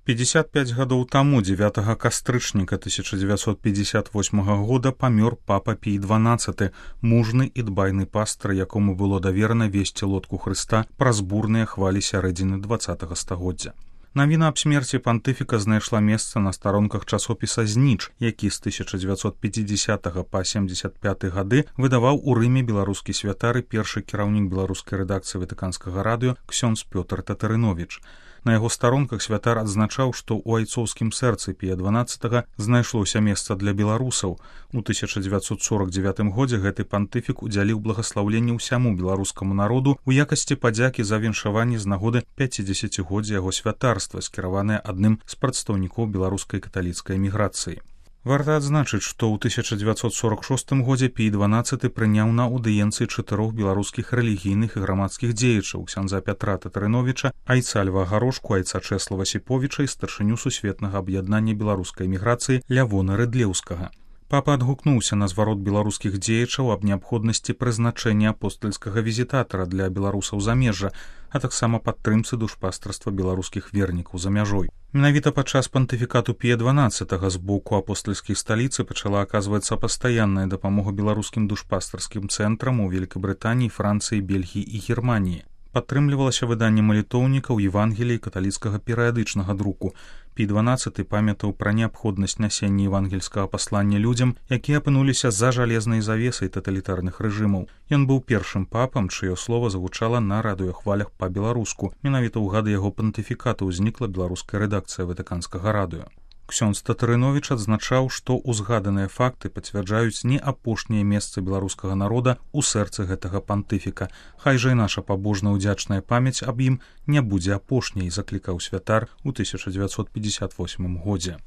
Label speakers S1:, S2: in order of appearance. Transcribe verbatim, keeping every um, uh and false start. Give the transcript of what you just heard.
S1: пятьдесят пять гадоў таму дзевятага кастрычніка тысяча дзевятьсот пятьдесят восьмага года памёр папа Пій дванаццаты, мужны і дбайны пастар, якому было даверана весці лодку Хрыста праз бурныя хвалі сярэдзіны дваццатага стагоддзя. Навіна аб смерці пантыфіка знайшла месца на старонках часопіса «Зніч», які з тысяча дзевятьсот пятидесятага па семьдесят пяты гады выдаваў у Рыме беларускі святар і першы кіраўнік беларускай рэдакцыі ватыканскага радыё ксёндз Пётр Татарыновіч. На яго старонках святар адзначаў, што ў айцоўскім сэрцы Пія дванаццатага знайшлося месца для беларусаў. У тысяча дзевятьсот сорок девятым годзе гэты пантыфік удзяліў благаслаўленне ўсяму беларускаму народу ў якасці падзякі за віншаванне з нагоды пяцідзесяцігоддзя яго святарства, скіраванае адным з прадстаўнікоў беларускай каталіцкай эміграцыі. Варта адзначыць, што ў тысяча дзевятьсот сорок шостым годзе Пій дванаццаты прыняў на аўдыенцыі чатырох беларускіх рэлігійных і грамадскіх дзеячаў ксяндза Пятра Татарыновіча, айца Льва Гарошку, айца Чэслава Сіповіча і старшыню сусветнага аб'яднання беларускай эміграцыі Лявона Рыдлеўскага. Папа адгукнуўся на зварот беларускіх дзеячаў аб неабходнасці прызначэння апостальскага візітатара для беларусаў замежжа, а таксама падтрымцы душпастарства беларускіх вернікаў за мяжой. Менавіта падчас пантыфікату Пія дванаццатага з боку апостальскай сталіцы пачала аказвацца пастаянная дапамога беларускім душпастарскім цэнтрам у Великабрытаніі, Францыі, Бельгіі і Германіі. Падтрымлівалася выданне малітоўнікаў, Евангелій, каталіцкага перыядычнага друку. Пій дванаццаты памятаў пра неабходнасць нясення евангельскага паслання людзям, якія апынуліся за жалезнай завесай таталітарных рэжымаў. Ён быў першым папам, чыё слова загучала на радыёхвалях па-беларуску. Менавіта ў гады яго пантыфікату ўзнікла беларуская рэдакцыя ватыканскага радыё. Ксёндз Татарыновіч адзначаў, што узгаданыя факты пацвярджаюць не апошняе месца беларускага народа ў сэрцы гэтага пантыфіка. Хай жа і наша пабожна ўдзячная памяць аб ім не будзе апошняй, заклікаў святар у тысяча дзевятьсот пятьдесят восьмым годзе.